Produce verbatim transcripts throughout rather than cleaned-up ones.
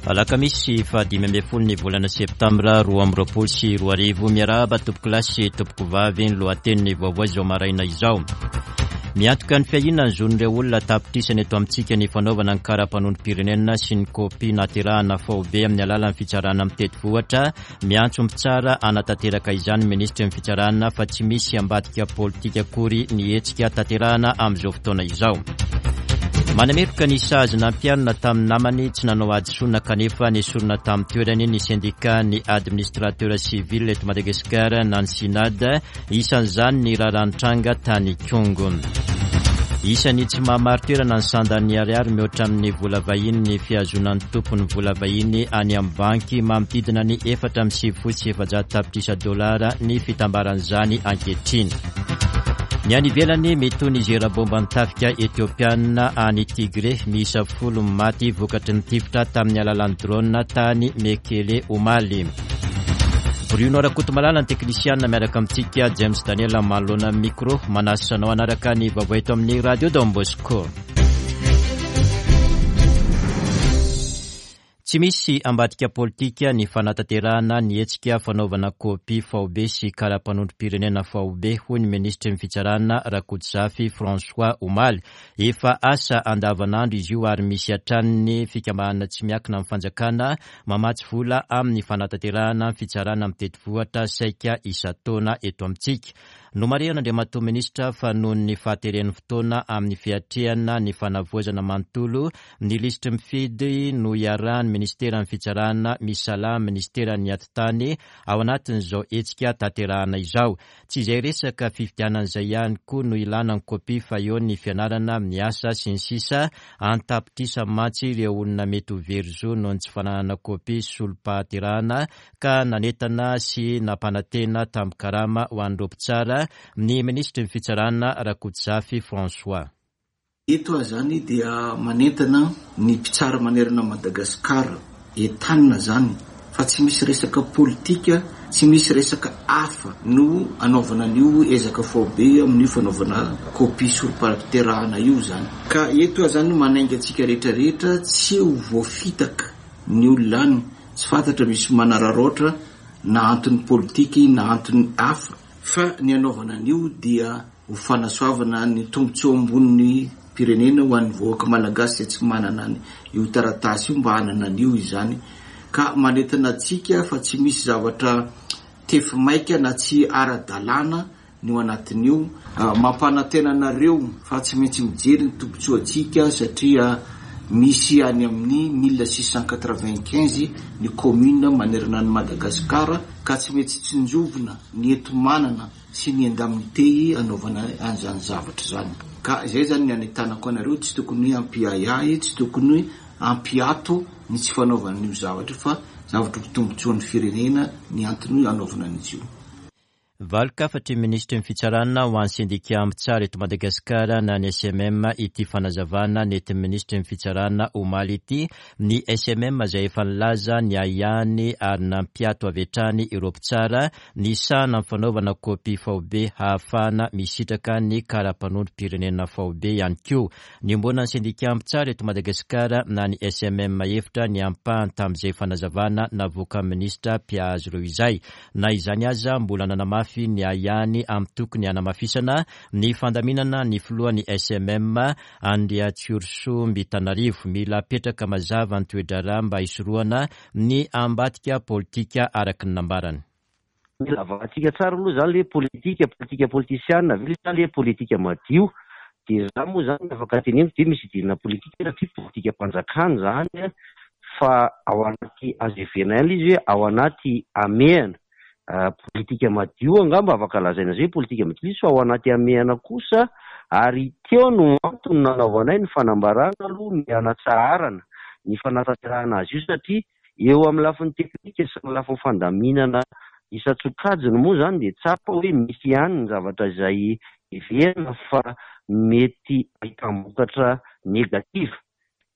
Alakamisy fahadimy ambin'ny folo ny volana septambra roa amby roapolo sy roa arivo. Miarahaba tompokolahy sy tompokovavy, ny lohatenin'ny vaovao izao maraina izao. Miantoka ny fiahiana ny zon'ireo olona tapitrisany eto amintsika ny fanaovana ny kara-panondrom-pirenena sy ny kopia naterahana faobe amin'ny alalan'ny fitsarana mitety vohitra. Miantso mpitsara hanatanteraka izany minisitry ny fitsarana fa tsy misy ambadika politika akory ny hetsika tanterahana amin'izao fotoana izao. Manameloka ny sazy nampiharina tamin'ny namany tsy nanao hadisoana kanefa nesorina tamin'ny toerany ny syndicat ny administrateur civil eto Madagasikara na ny SYNAD, isan'izany ny raharaha nitranga tany Ikongo. Isan'ny tsy mahamari-toerana ny sandan'ny ariary mihoatra amin'ny vola vahiny ny fihazonan'ny tompon'ny vola vahiny any amin'ny banky manodidina ny efatra amby sivifolo sy efajato tapitrisa dolara ny fitambaran'izany ankehitriny. Ny any ivelany, mitohy ny zera bomba ny tafika etiopiana any Tigré, miisa folo maty vokatry ny tifitra tamin'ny alalan'ny drone tany Mekele omaly. Bruno Rakotomalala ny teknisiana miaraka amintsika, James Daniel manoloana micro, manasa anao hanaraka ny vaovao eto amin'ny Radio Don Bosco. Tsy misy ambadika politika ny fanatanterahana ny hetsika fanaovana kopia faobe sy kara-panondrom-pirenena faobe, hoy ny minisitry ny fitsarana Rakotozafy François omaly. Efa asa andavanandro izy io ary misy hatrany ny fikambanana tsy miankina amin'ny fanjakana mamatsy vola amin'ny fanatanterahana ny fitsarana mitety vohitra saika isan-taona eto amintsika. Nomarihan'Andriamatoa Minisitra fa noho ny fahateren'ny fotoana amin'ny fiatrehana ny fanavaozana manontolo ny lisitry mifidy no iarahan'ny ministeran'ny fitsarana misalahy ministeran'ny atitany ao anatin'izao hetsika tanterahana izao. Tsy izay resaka fifidianana izay ihany koa no ilana ny kopia fa eo ny fianarana, ny asa sy ny sisa. An-tapitrisa mantsy ireo olona mety ho very zo noho ny tsy fananana kopia solom-pahaterahana ka nanentana sy nampanantena tamin'ny karama ho an'ireo mpitsara ny minisitry ny fitsarana Rakotozafy François. Eto aho zany dia manentana ny mpitsara manerana Madagasikara entanina zany fa tsy misy resaka politika, tsy misy resaka hafa no anaovana an'io ezaka faobe amin'io fanaovana kopia solom-pahaterahana io zany. Ka eto aho zany manainga antsika rehetrarehetra tsy ho voafitaka ny olona any, tsy fantatra misy manararaotra na antony politika na antony hafa, fa ny anaovana an'io dia ho fanasoavana ny tombontsoa ambonin'ny pirenena ho an'ny vahoaka malagasy izay tsy manana io taratasy io mba hanana an'io izany. Ka manentana antsika fa tsy misy zavatra tefy maika na tsy ara-dalàna ny ao anatin'io. Mampanantena anareo fa tsy maintsy mijery ny tombontsoantsika satria misy any amin'ny mille six cent quatre-vingt-quinze ny commune manerana an'i Madagasikara ka tsy maintsy tsinjovina ny enti-manana sy ny indemnité anaovana an'izany zavatra izany. Ka izay zany ny anentanako anareo, tsy tokony hampiahiahy, tsy tokony hampiato ny tsy fanaovana an'io zavatra io fa zavatra ho tombontsoan'ny firenena ny antony anaovana an'izy io. Valin-kafatry ny minisitry ny fitsarana ho an'ny sendika mpitsara eto Madagasikara na ny S M M ity fanazavana nentin'ny minisitry ny fitsarana omaly ity. Ny S M M izay efa nilaza ny ahiahiny ary nampiato avy hatrany ireo mpitsara ny sahana ny fanaovana kopia faobe hahafahana misitraka ny kara-panondrom-pirenena faobe ihany koa. Niombonan'ny sendika mpitsara eto Madagasikara na ny S M M hevitra ny ampahany tamin'izay fanazavana navoakan'ny minisitra mpiahy ireo izay. Na izany aza mbola nanamafy ny ahiahiny amin'ny tokony hanamafisana ny fandaminana ny filohan'ny S M M Andriatsiorisoa Mbitanarivo. Mila apetraka mazava ny toe-draharaha mba hisorohana ny ambadika politika araka ny nambarany. Mila avahantsika tsara aloha zany le politika, politika politisiana ve sa le politika madio? Dia za moa zany afaka teneniko dia misy idirana politika satria politikam-panjakana zany fa ao anaty azo heverina ihany izy hoe ao anaty hamehana. Politika madio angamba afaka lazaina zay hoe politika madio izy fa ao anaty hamehana kosa, ary teo no antony nanaovanay ny fanambarana aloha ny hanatsaharana ny fanatanterahana azy io satria eo amin'ny lafiny teknika sy ny lafiny fandaminana isan-tsokajiny moa zany dia tsapa hoe misy ihany ny zavatra izay heverina fa mety ahitam-bokatra negativa.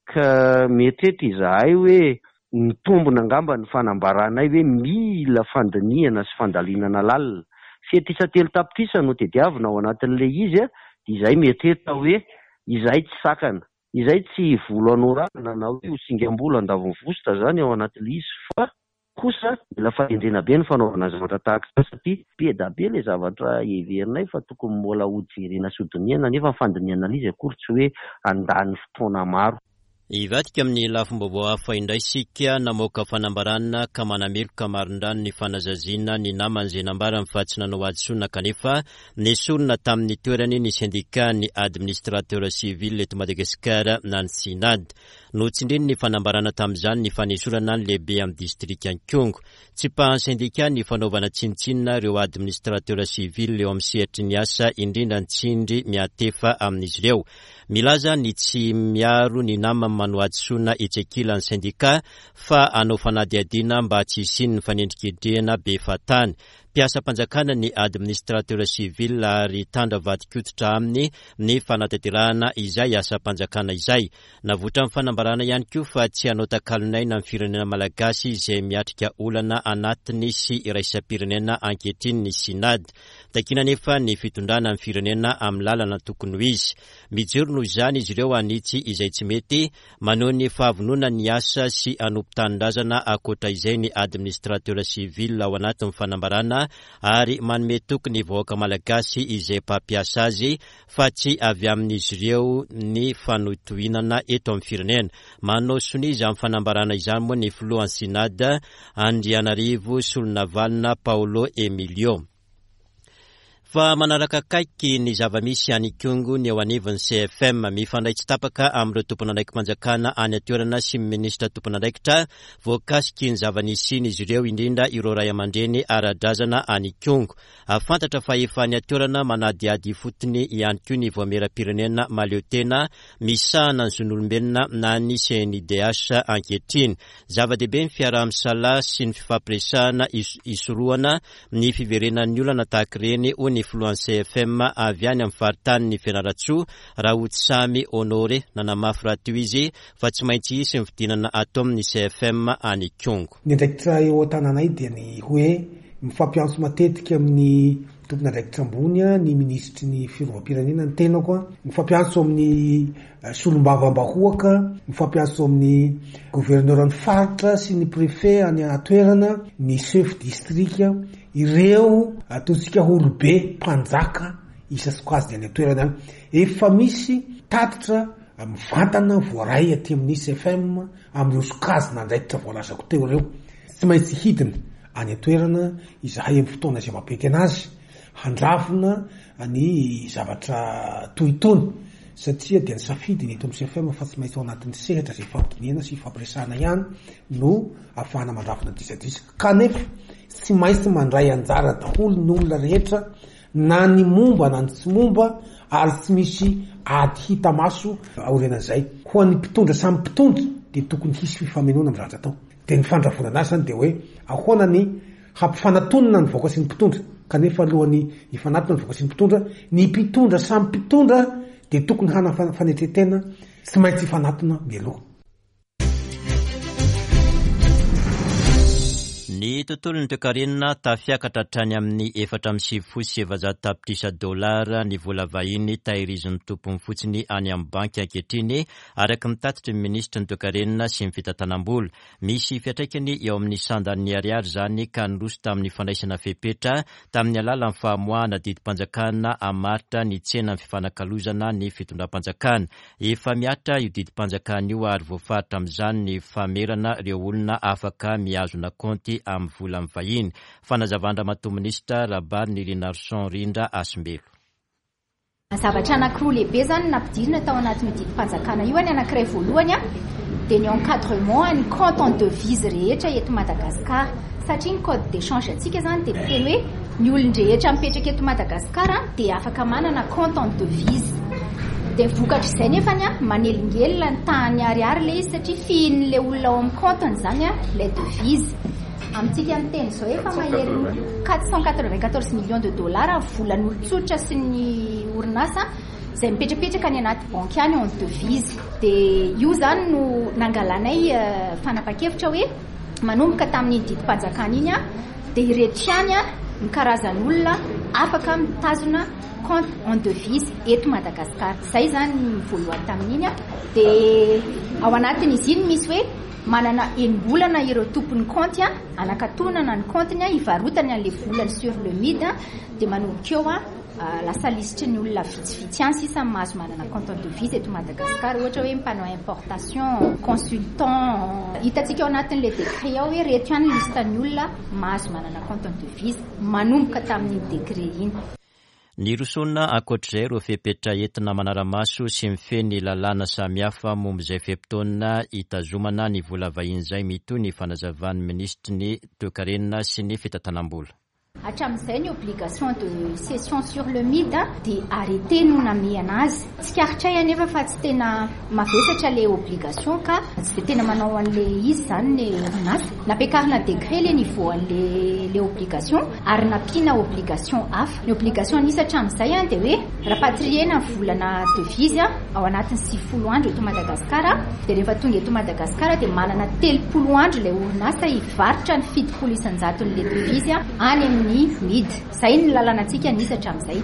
Ka mieritreritra izahay hoe mitombina angamba ny fanambaranay hoe mila fandinihana sy fandalinana lalina. Fetrisa telo tapitrisa no tadiavina ao anatin'ilay izy, dia izahay mieritreritra hoe izahay tsy sakana. Izay tsy volo anorana na hoe ho singam-bolo andavon'ny vositra zany ao anatin'ilay izy, fa kosa mila fahendrena be ny fanaovana zavatra tahaka izany, satria be dia be ilay zavatra heverinay fa tokony mbola ho jerena sy hodinihana, nefa ny fandinihana ilay izy akory tsy hoe handany fotoana maro. Hivadika amin'ny lafim-baovao hafa indray isika. Namoaka fanambarana ka manameloka marindrano ny fanazaziana ny namany izay nambarany fa tsy nanao hadisoana kanefa nesorina tamin'ny toerany ny sendika ny administrateur civil eto Madagasikara na ny SYNAD. Notsindriny ny fanambarana tamin'izany ny fanesorana ny lehibe amin'ny distrika Ikongo. Tsipahan'ny sendika ny fanaovana tsinontsinona ireo administrateur civil eo amin'ny sehatry ny asa, indrindra ny tsindry miatefa amin'izy ireo. Milaza ny tsy miaro ny namany manao hadisoana etsy ankilan'ny sendika fa hanao fanadihadiana mba tsy hisian'ny fanendrikendrehana be fahatany. Mpiasam-panjakana ny administrateur civil ary tandra vadikototra aminy ny fanatanterahana izay asam-panjakana izay. Navoitra ny fanambarana ihany koa fa tsy hanao takalon'aina amin'ny firenena malagasy izay miatrika olana anatiny sy iraisam-pirenena ankehitriny ny SYNAD. Takiana nefa ny fitondrana ny firenena amin'ny lalana tokony ho izy. Mijoro noho izany izy ireo hanitsy izay tsy mety, maneho ny fahavonona ny asa sy hanompo tanindrazana ankoatra izay ny administrateur civil ao anatin'ny fanambarana ary manome toky ny vahoaka malagasy izay mpampiasa azy fa tsy avy amin'izy ireo ny fanotohinana eto amin'ny firenena. Manao sonia izany fanambarana izany moa ny filohan'ny SYNAD Andrianarivo Solonavalona Paolo Emilio. Fa manaraka akaiky ny zava-misy any Ikongo ny eo anivon'ny C F M. Mifandray tsy tapaka amin'ireo tompon'andraiki-panjakana any an-toerana sy ny minisitra tompon'andraikitra voakasiky ny zava-nisy izy ireo, indrindra ireo ray aman-dreny ara-drazana any Ikongo. Fantatra fa efa any an-toerana manadihady ifotony ihany koa ny voamieram-pirenena mahaleo tena misahana ny zon'olombelona na ny C N I D H ankehitriny. Zava-dehibe ny fiaraha-misalahy sy ny fifampiresahana isorohana ny fiverenan'ny olana tahaka ireny, hoy ny filohan'ny C F M avy any amin'ny faritanin'ny Fianarantsoa, Rahotsamy Honoré. Nanamafy rahateo izy fa tsy maintsy hisy ny fidinana atao amin'ny C F M any Ikongo. Ny andraikitra eo an-tananay dia ny hoe mifampiantso matetika amin'ny tompon'andraikitra ambony, ny minisitry ny fiarovam-pirenena ny tenako, mifampiantso amin'ny solombavambahoaka, mifampiantso amin'ny governoran'ny faritra sy ny préfet any an-toerana, ny chef district, ireo ataontsika olobe mpanjaka isan-tsokajiny any an-toerana any. Efa misy tatitra mivantana voaray aty amin'ny C F M amin'ireo sokajin'andraikitra voalazako teo ireo. Tsy maintsy hidina any an-toerana izahay amin'ny fotoana izay mampety anazy, handravona ny zavatra toy itony, satria dia nisafidy ny eto amin'ny C F M fa tsy maintsy ao anatin'ny sehatra izay ifampidinihana sy ifampiresahana ihany no ahafahana mandravona ny disadisa. Kanefa tsy maintsy mandray anjara daholo ny olona rehetra, na ny momba na ny tsy momba, ary tsy misy ady hita maso aorianan'izay. Ho an'ny mpitondra samy mpitondra dia tokony hisy fifamenoana amin'ny zavatra atao. Dia ny fandravonana azy zany dia hoe ahoana ny hampifanatonana ny vahoaka sy ny mpitondra, kanefa alohan'ny hifanatona ny vahoaka sy ny mpitondra, ny mpitondra samy mpitondra dia tokony hanana fanetren-tena, tsy maintsy hifanatona mialoha. Ny tontolon'ny toekarena tafiakatra hatrany amin'ny efatra amby sivifolo sy efajato tapitrisa dolara ny vola vahiny tahirizin'ny tompony fotsiny any amin'ny banky ankehitriny, araka ny tatitry ny minisitry ny toekarena sy ny fitantanam-bola. Misy fiantraikany eo amin'ny sandan'ny ariary izany ka niroso tamin'ny fandraisana fepetra tamin'ny alalan'ny famoahana didim-panjakana hamaritra ny tsenan'ny fifanakalozana ny fitondram-panjakana. Efa mihatra io didim-panjakana io ary voafaritra amin'izany ny famerana ireo olona afaka mihazona kaonty amin'ny vola vahiny. Fanazavan-dRamatoa Minisitra Rabarinirinarison Rindra Hasimbelo. Zavatra anankiroa lehibe zany nampidirina tao anatin'ny didim-panjakana io. Ny anankiray voalohany a, dia ny encadrement ny compte en devise rehetra eto Madagasikara, satria ny code d'échange antsika zany dia miteny hoe ny olon-drehetra mipetraka eto Madagasikara dia afaka manana compte en devise. Dia vokatr'izay nefany a, manelingelina ny tahan'ny ariary ilay izy, satria fihin'ilay olona ao amin'ny compte-ny zany a ilay devise. Amintsika miteny izao efa mahery quatre cent quatre-vingt-quatorze millions de dollars volan'olon-tsotra sy ny orinasa izay mipetrapetraka any anaty banky any en devise. Dia io zany no nangalanay fanapa-kevitra hoe manomboka tamin'iny didim-panjakana iny a, dia ireto ihany a ny karazan'olona afaka mitazona compte en devise eto Madagasikara. Izay izany ny voalohany tamin'iny. Dia ao anatin'izy iny misy hoe manana enim-bolana ireo tompon'ny compte anakatonana ny compte-ny hivarotany an'ilay volany sur le M I D, dia manomboka eo lasa lisitry ny olona vitsivitsy ihany sisa mahazo manana compte en devise eto Madagasikara, ohatra hoe mpanao importation, consultant. Hitantsika ao anatin'ilay décret ao hoe reto ihany liste ny olona mahazo manana compte en devise manomboka tamin'iny décret iny. Nirosoana ankoatr'izay ireo fepetra entina manara-maso sy mifehy ny lalàna samihafa momba izay fe-potoana hitazomana ny vola vahiny izay mitohy ny fanazavan'ny minisitry ny toekarena sy ny fitantanam-bola. Hatramin'izay ny obligation de cession sur le M I D dia arrêté no namehana azy. Tsikaritray anefa fa tsy tena mavesatra ilay obligation ka tsy dia tena manao an'ilay izy izany ny orinasa. Nampiakarina décret ilay niveau an'ilay ilay obligation ary nampiana obligation hafa. Ny obligation nisy hatramin'izay dia hoe rapatriena ny volana devise ao anatin'ny sivifolo andro eto Madagasikara, dia rehefa tonga eto Madagasikara dia manana telopolo andro ilay orinasa hivarotra ny fitopolo isan-jaton'ilay devise any amin'ny M I D. Izay ny lalànantsika nisy hatramin'izay.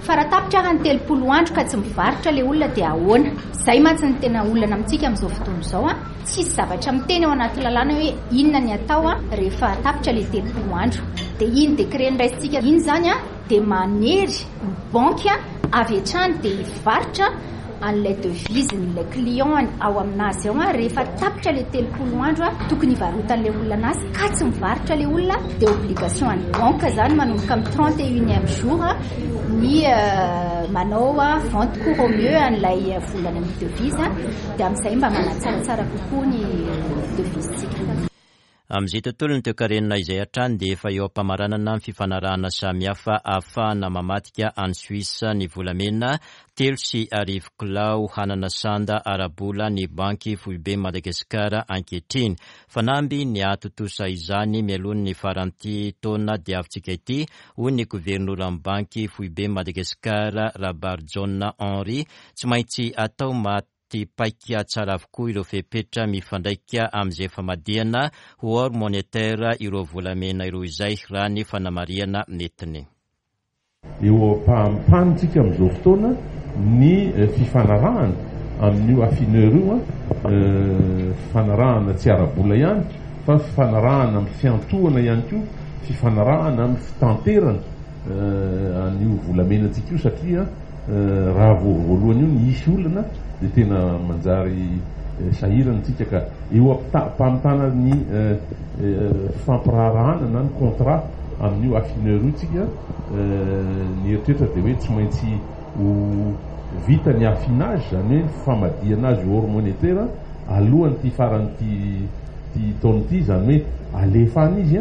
Fa raha tapitra ary ny telopolo andro ka tsy mivarotra ilay olona dia ahoana? Izay mantsy ny tena olana amintsika amin'izao fotoana izao. Tsisy zavatra miteny ao anaty lalàna hoe inona ny atao rehefa tapitra ilay telopolo andro. Dia iny décret noraisintsika iny izany dia manery ny banky avy hatrany dia hivarotra an'ilay devise n'ilay client ao aminazy ao rehefa tapitra ilay telopolo andro tokony hivarotan'ilay olona anazy ka tsy mivarotra ilay olona dia obligation an'ny banque izany manomboka amin'ny trente et unième jour ny manao vente court au mieux an'ilay volana amin'ny devise dia amin'izay mba manatsaratsara kokoa ny devise-tsika. Amin'izay tontolo ny toekarena izay hatrany dia efa eo am-pamaranana ny fifanarahana samihafa ahafahana mamadika any Suisse ny volamena telo sy arivo kilao hanana sanda ara-bola ny banky foibe Madagasikara ankehitriny. Fanamby ny hahatontosa izany mialoha ny faran'ity taona diavintsika ity, hoy ny governoran'ny banky foibe Madagasikara Rabarijaona Henri. Tsy maintsy atao maty paika tsara avokoa ireo fepetra mifandraika amin'izay famadihana ho or monétaire ireo volamena ireo izay raha ny fanamarihana nentiny. Eo am-pahampantsika amin'izao fotoana ny fifanarahana amin'io affineur io, fifanarahana tsy ara-bola ihany fa fifanarahana amin'ny fiantohana ihany koa, fifanarahana amin'ny fitanterana an'io volamenantsika io, satria raha vao voalohany io ny hisy olana dia tena manjary sahirana tsika ka eo am-pamitana ny fifampiraharahana na ny contrat amin'io affineur io tsika, ny eritreritra dia hoe tsy maintsy ho vita ny affinage, izany hoe ny famadihana azy ho or monétaire alohan'ity faran'ity ty taona ity, izany hoe alefa any izy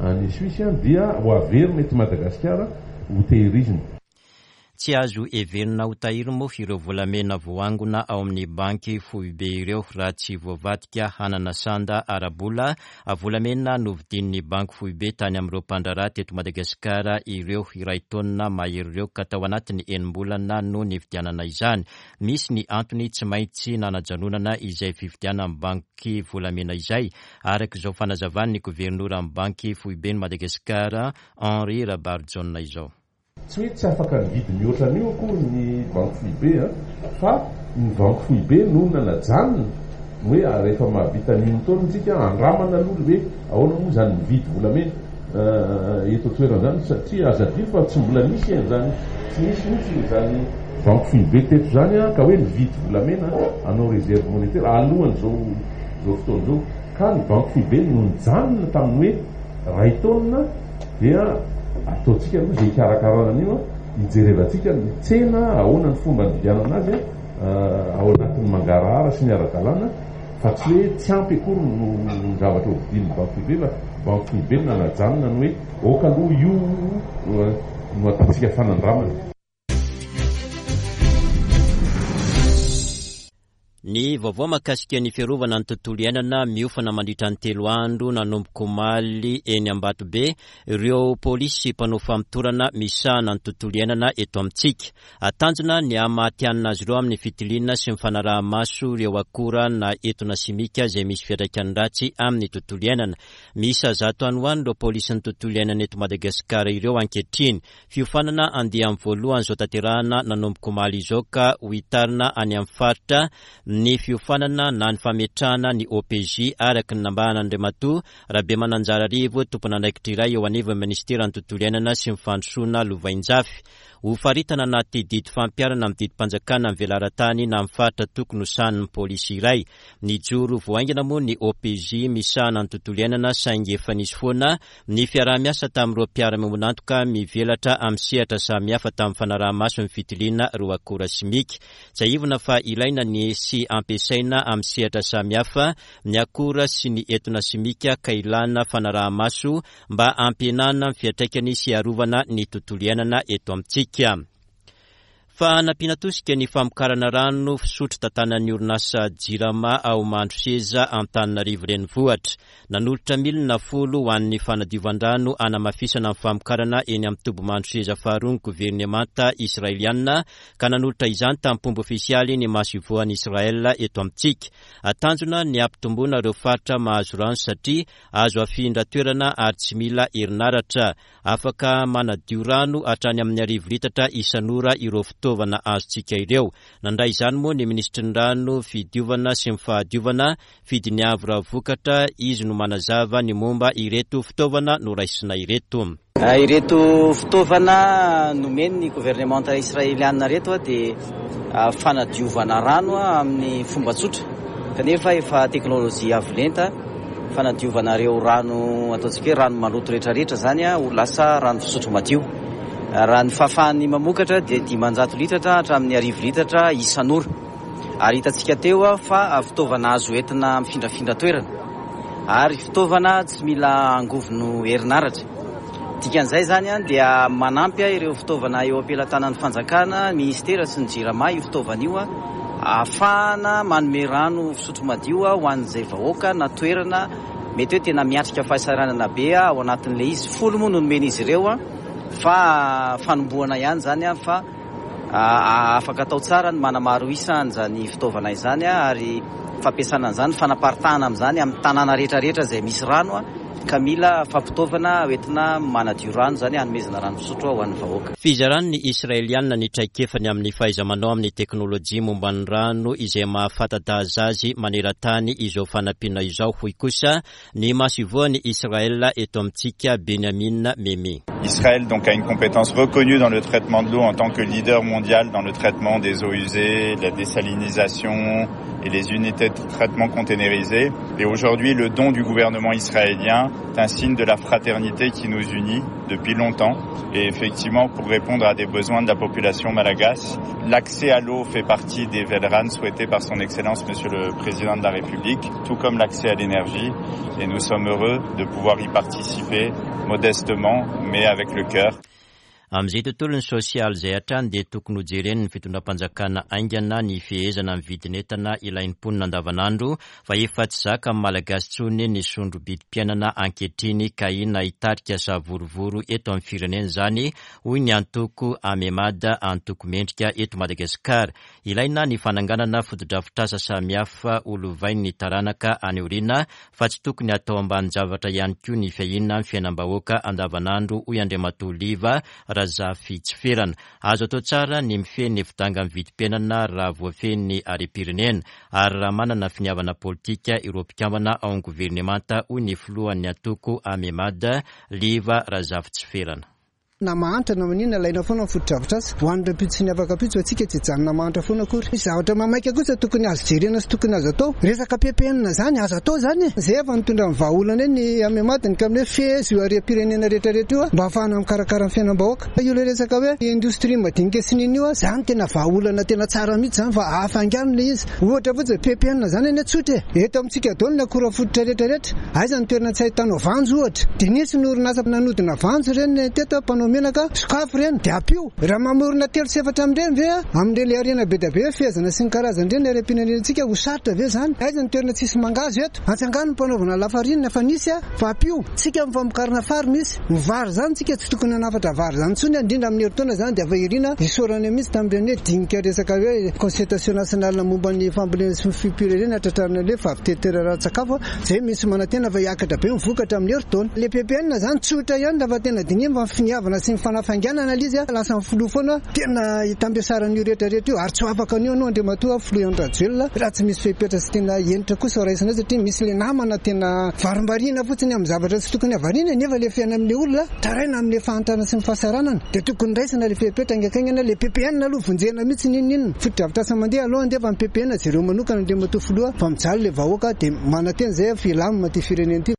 any Suisse dia ho averina eto Madagasikara ho tehirizina. Tsy azo heverina ho tahiry moa ireo volamena voaangona ao amin'ny banky foibe ireo raha tsy voavadika hanana sanda ara-bola. Volamena novidian'ny banky foibe tany amin'ireo mpandraharaha teto Madagasikara ireo iray taonina mahery ireo ka tao anatin'ny enim-bolana no nividianana izany. Misy ny antony tsy maintsy nanajanonana izay fividianan'ny banky volamena izay, araka izao fanazavan'ny governoran'ny banky foiben'i Madagasikara Henri Rabarijaona izao. Tsy hoe tsy afaka nividy mihoatra an'io akory ny banky foibe, fa ny banky foibe no nanajanona hoe rehefa mahavita ny taona isika andramana aloha hoe ahoana moa izany mividy volamena eto an-toerana izany, satria aza adino fa tsy mbola nisy an'izany, tsy nisy mihitsy izany banky foibe teto izany ka hoe mividy volamena hanao réserve monétaire alohan'izao izao fotoana izao, ka ny banky foibe no nijanona tamin'ny hoe ray taona dia ataontsika aloha izay hikarakarana an'io, hijerevantsika ny tsena ahoana ny fomba nividianana azy ao anatin'ny mangarahara sy ny ara-dalàna, fa tsy hoe tsy ampy akory no ny zavatra hovidian'ny banky foibe, fa banky foibe no nanajanona ny hoe aoka aloha io no ataontsika fanandramana. Ny vaovao mahakasika ny fiarovana ny tontolo iainana miofana mandritra ny telo andro nanomboka omaly eny Ambatobe ireo polisy mpanao famotorana misahana ny tontolo iainana eto amintsika. Tanjona ny hahamatihanina azy ireo amin'ny fitiliana sy ny fanaraha-maso ireo akora na etona simika izay misy fiantraikany ratsy amin'ny tontolo iainana. Miisa zato any ho any ireo polisin'ny tontolo iainana eto Madagasikara ireo ankehitriny. Fiofanana andiany voalohany izao tanterahana nanomboka omaly izao ka ho hitarina any amin'ny faritra ny fiofanana na ny fametrahana ny O P J araka ny nambaran'Andriamatoa Rabemananjararivo, tompon'andraikitra iray eo anivon'ny ministeran'ny tontolo iainana sy ny fandrosoana lovainjafy. Ho faritana anaty didy fampiharana amin'ny didim-panjakana amin'ny velaran-tany na amin'ny faritra tokony ho sahanin'ny polisy iray. Nijoro vao haingana moa ny O P J misahana ny tontolo iainana saingy efa nisy foana ny fiaraha-miasa tamin'ireo mpiara-miombon'antoka mivelatra amin'ny sehatra samihafa tamin'ny fanaraha-maso ny fitiliana ireo akora simika. Tsiahivina fa ilaina ny sy ampiasaina amin'ny sehatra samihafa ny akora sy ny etona simika ka ilana fanaraha-maso mba hampihenana ny fiantraikany sy hiarovana ny tontolo iainana eto amintsika. Fa nampiana tosika ny famokarana rano fisotro tantanan'ny orinasa Jirama ao Mandroseza Antananarivo renivohitra. Nanolotra milina folo ho an'ny fanadiovan-drano hanamafisana ny famokarana eny amin'ny toby Mandroseza faharoa ny governemanta israeliana ka nanolotra izany tamin'ny fomba ofisialy ny masoivohon'i Israel eto amintsika. Tanjona ny hampitomboana ireo faritra mahazo rano satria azo afindra toerana ary tsy mila herinaratra. Afaka manadio rano hatrany amin'ny arivo litatra isan'ora ireo fitaovana azontsika ireo. Nandray izany moa ny minisitry ny rano, fidiovana sy ny fahadiovana, Fidiniavo Ravokatra, izy no manazava ny momba ireto fitaovana noraisina ireto. Ireto fitaovana nomen'ny governemanta israeliana ireto dia fanadiovana rano amin'ny fomba tsotra, kanefa efa teknôlôjia avo lenta fanadiovana ireo rano ataontsika hoe rano maloto rehetrarehetra zany ho lasa rano fisotro madio. Raha ny fahafahany mamokatra dia dimanjato litatra hatramin'ny arivo litatra isan'ora. Ary hitantsika teo fa fitaovana azo entina mifindrafindra toerana ary fitaovana tsy mila angovo herinaratra. Dikan'izay zany dia manampy ireo fitaovana eo am-pelatanan'ny fanjakana, ministera sy ny Jirama io fitaovana io ahafahana manome rano fisotro madio ho an'izay vahoaka na toerana mety hoe tena miatrika fahasahiranana be ao anatin'ilay izy. Folo moa no nomen'izy ireo fa fanombohana ihany zany fa afaka atao tsara ny manamaro isa an'izany fitaovana izany ary fampiasana an'izany, fanaparitahana amin'izany amin'ny tanàna rehetrarehetra izay misy rano ka mila fampitaovana hoentina manadio rano zany hanomezana rano fisotro ho an'ny vahoaka. Fizaran'ny Israeliana ny traikefany amin'ny fahaiza-manao amin'ny teknôlôjia momba ny rano izay mahafantadaza azy maneran-tany izao fanampiana izao, hoy kosa ny masoivohon'i Israel eto amintsika, Benjamin Memi. Israël donc a une compétence reconnue dans le traitement de l'eau en tant que leader mondial dans le traitement des eaux usées, la désalinisation et les unités de traitement containérisaées. Et aujourd'hui, le don du gouvernement israélien est un signe de la fraternité qui nous unit depuis longtemps. Et effectivement, pour répondre à des besoins de la population malagasy, l'accès à l'eau fait partie des Velran souhaités par son Excellence Monsieur le Président de la République, tout comme l'accès à l'énergie. Et nous sommes heureux de pouvoir y participer modestement, mais avec le cœur. Amin'izay tontolon'ny sosialy izay hatrany dia tokony hojeren'ny fitondram-panjakana haingana ny fehezana ny vidin'entana ilain'ny mponina andavanandro fa efa tsy zaka amin'ny Malagasy intsony ny sondro-bidim-piainana ankehitriny ka inona hitarika savorovoro eto amin'ny firenena izany, hoy ny antoko Amemada, antoko mendrika eto Madagasikara. Ilaina ny fananganana fotodrafitrasa samihafa ho lovain'ny taranaka any aoriana fa tsy tokony atao ambanin-javatra ihany koa ny fiahiana ny fiainam-bahoaka andavanandro, hoy Andriamatoa Liva Razafitsiferana. Azo atao tsara ny mifehy ny fidangan'ny vidim-piainana raha voafehy ny harem-pirenena ary raha manana finiavana politika ireo mpikambana ao amin'ny governemanta, hoy ny filohan'ny antoko Amemada, Liva Razafitsiferana. Na mahantra na maninona ilaina foana ny fotodrafitrasa ho an'ny rahampitso sy ny afaka ampitso, antsika tsy hijanona mahantra foana akory. Misy zavatra maimaika kosa tokony azo jerena sy tokony azo atao. Resaka P P N zany azo atao zany e. Zay efa nitondra ny vahaolana eny ny Amemada ny amin'ny hoe fehezo io harem-pirenena rehetrarehetra io mba ahafahana mikarakara ny fiainam-bahoaka. Io ilay resaka hoe indostria madinika sy nini io, zany tena vahaolana tena tsara mihitsy zany fa ahafaingano ilay izy. Ohatra fotsiny P P N zany anie tsotra e. Eto amintsika daholo ny akora fototra rehetrarehetra. Aiza ny toerana tsy ahitanao vanjo ohatra. Dia nisy ny orinasa nanodina vanjo ireny teto, mpanao manao menaka, sokafo ireny dia ampio. Raha mamorona telo sy efatra amin'ireny ve amin'ireny harena be dia be fehezana sy ny karazany ireny harem-pirenentsika ho sarotra ve zany? Aiza ny toerana tsisy mangahazo eto? Atsangano ny mpanaovana lafarinina fa nisy fa ampio. Tsika amin'ny famokarana fary misy. Ny vary zany tsika tsy tokony hanafatra vary zany intsony, indrindra amin'ny herintaona zany dia efa irina isaorana mihitsy tamin'ireny hoe dinika resaka hoe concertation nationale momba ny fambolena sy ny fiompiana tratrarina le fahavitena ara-tsakafo zay misy manantena fa hiakatra be ny vokatra amin'ny herintaona. Le P P N zany tsotra ihany raha fa tena dinihina fa ny finiavana sy ny fanafainganana ilay izy lasa ny filoha foana tena hitambesaran'io rehetrarehetra io ary tsy ho afaka an'io anao Andriamatoa filoha Andry Rajoelina raha tsy misy fepetra sy tena henitra kosa raisina satria misy le namana tena varimbariana fotsiny amin'ny zavatra tsy tokony havarina nefa le fiainana amin'ilay olona taraina amin'ilay fahantrana sy ny fahasaranana dia tokony raisina le fepetra haingankaingana. Le P P N aloha vonjena mihitsy n'inon'inona fotodrafitrasa mandeha aloha andeha fa ny P P N jereo manokana Andriamatoa filoha fa mijaly le vahoaka dia manantena izay filamina ty firenena ity.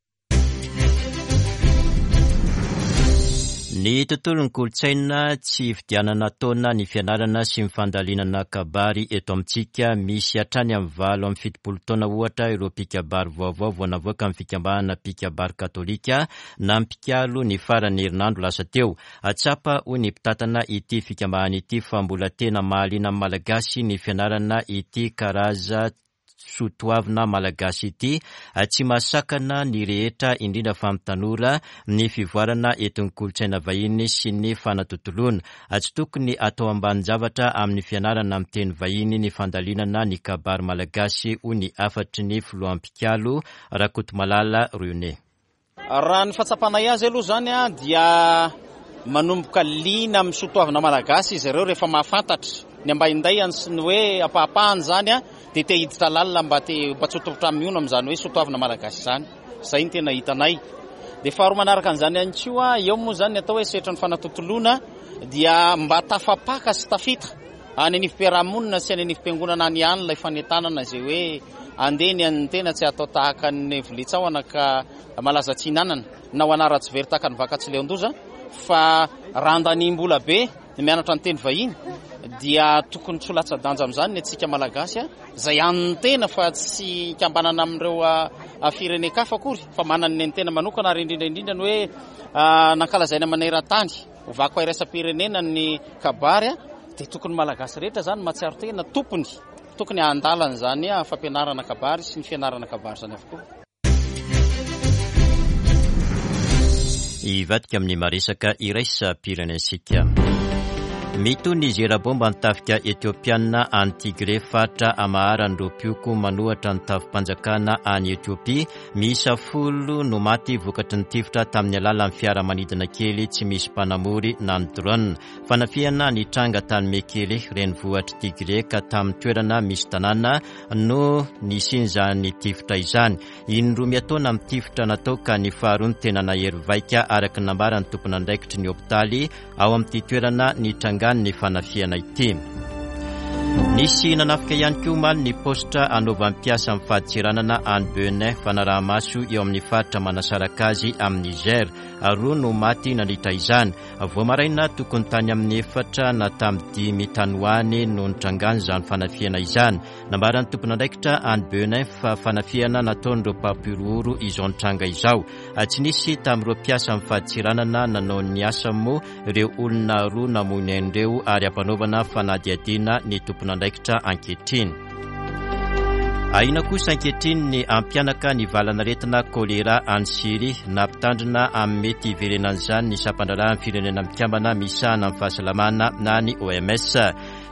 Ny tontolon'ny kolontsaina tsy fidianana taona ny fianarana sy ny fandalinana kabary eto amintsika. Misy hatrany amin'ny valo amin'ny fitopolo taona ohatra ireo mpikabary vaovao vao navoaka amin'ny fikambanana mpikabary katolika na mpikalo ny faran'ny herinandro lasa teo. Atsapa hoy ny mpitantana ity fikambanana ity fa mbola tena mahaliana amin'ny Malagasy ny fianarana ity karaza soatoavina malagasy ity. Tsy mahasakana ny rehetra indrindra fa amin'ny tanora ny fivoarana entin'ny kolontsaina vahiny sy ny fanatontoloana. Tsy tokony atao ambanin-javatra amin'ny fianarana amin'ny teny vahiny ny fandalinana ny kabary malagasy hoy ny hafatry ny filoham-pikalo Rakotomalala René. Raha ny fahatsapanay azy aloha zany dia manomboka liana amin'ny soatoavina malagasy izy ireo rehefa mahafantatra ny ambaindaiany sy ny hoe ampahapahany zany dia te hiditra lalina mba te mba tsy ho tompon-trano mihono amin'izany hoe soatoavina malagasy izany. Izay no tena hitanay. Dia faharoa manaraka an'izany ihany koa, eo moa zany ny atao hoe sehatry ny fanatontoloana dia mba tafapaka sy tafita any anivom-piarahamonina sy any anivom-piangonana any ihany ilay fanentanana izay hoe andeha ny an'ny tena tsy atao tahaka ny voletsahona ka malaza tsy hinanana na ho anara-tsy very tahaka ny vakatsy leondoza fa raha andanim-bola be ny mianatra ny teny vahiny dia tokony tsy ho latsa-danja amin'izany ny antsika malagasy izay an'ny tena fa tsy ikambanana amin'ireo firenen-kafa akory fa manana ny tena manokana ary indrindra indrindra ny hoe nankalazaina maneran-tany ho vakoka iraisam-pirenena ny kabary dia tokony malagasy rehetra zany mahatsiaro tena tompony tokony handalana izany fampianarana kabary sy ny fianarana kabary izany avokoa. Hivadika amin'ny maresaka iraisam-pirenentsika. Mitohy ny zera-bomba ny tafika Etiopiana any Tigray faritra amaharan'ireo mpioko manohatra ny tafim-panjakana any Etiopia. Miisa folo no maty vokatry ny tifitra tamin'ny alalan'ny fiaramanidina kely tsy misy mpanamory na ny drone. Fanafihana nitranga tany Mekele renivohitr'i Tigray ka tamin'ny toerana misy tanàna no nisian'izany tifitra izany. Indroa miataona amin'ny tifitra natao ka ny faharoa ny tena nahery vaika araka ny nambaran'ny tompon'andraikitry ny hopitaly ao amin'ity toerana nitranga ny fanafihana ity. Nisy nanafika ihany koa omaly ny paositra anaovan'ny mpiasa amin'ny fadintseranana any Benin fanaraha-maso eo amin'ny faritra manasaraka azy amin'ny Niger. Roa no maty nandritra izany. Vao maraina tokony tany amin'ny efatra na tamin'ny dimy tany ho any no nitrangany izany fanafihana izany. Nambaran'ny tompon'andraikitra any Benin fa fanafihana nataon'ireo mpampihorohoro izao nitranga izao. Tsy nisy tamin'ireo mpiasa amin'ny fadintseranana nanao ny asa moa ireo olona roa namoy ny ainy ireo ary ampanaovana fanadihadiana ny tompon'andraikitra ankehitriny. Ahiana kosa ankehitriny ny ampianaka ny valanaretina kolera any Syria. Nampitandrina amin'ny mety hiverenan'izany ny sampan-draharahan'ny firenena mikambana misahana amin'ny fahasalamana na ny O M S.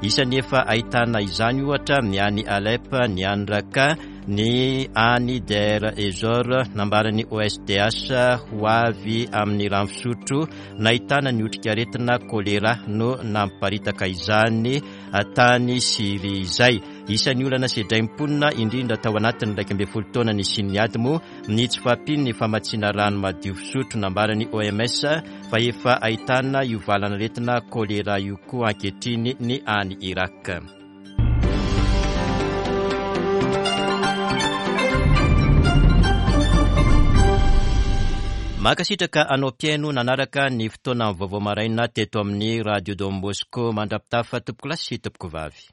Isan'ny efa ahitana izany ohatra ny any Alep, ny any Raqqa, ny any Deir ez-Zor. Nambaran'ny O S D H ho avy amin'ny rano fisotro nahitana ny otrikaretina kolera no namparitaka izany tany Syria izay. Isan'ny olana sedrain'ny mponina indrindra tao anatin'ny iraika ambin'ny folo taona nisian'ny ady moa ny tsy fahampian'ny famatsiana rano madio fisotro. Nambaran'ny O M S fa efa ahitana io valanaretina kolera io koa ankehitriny ny any Irak. Mankasitraka anao mpihaino nanaraka ny fotoana vaovao maraina teto amin'ny Radio Don Bosco. Mandra-pitafa tompokolahy sy tompokovavy.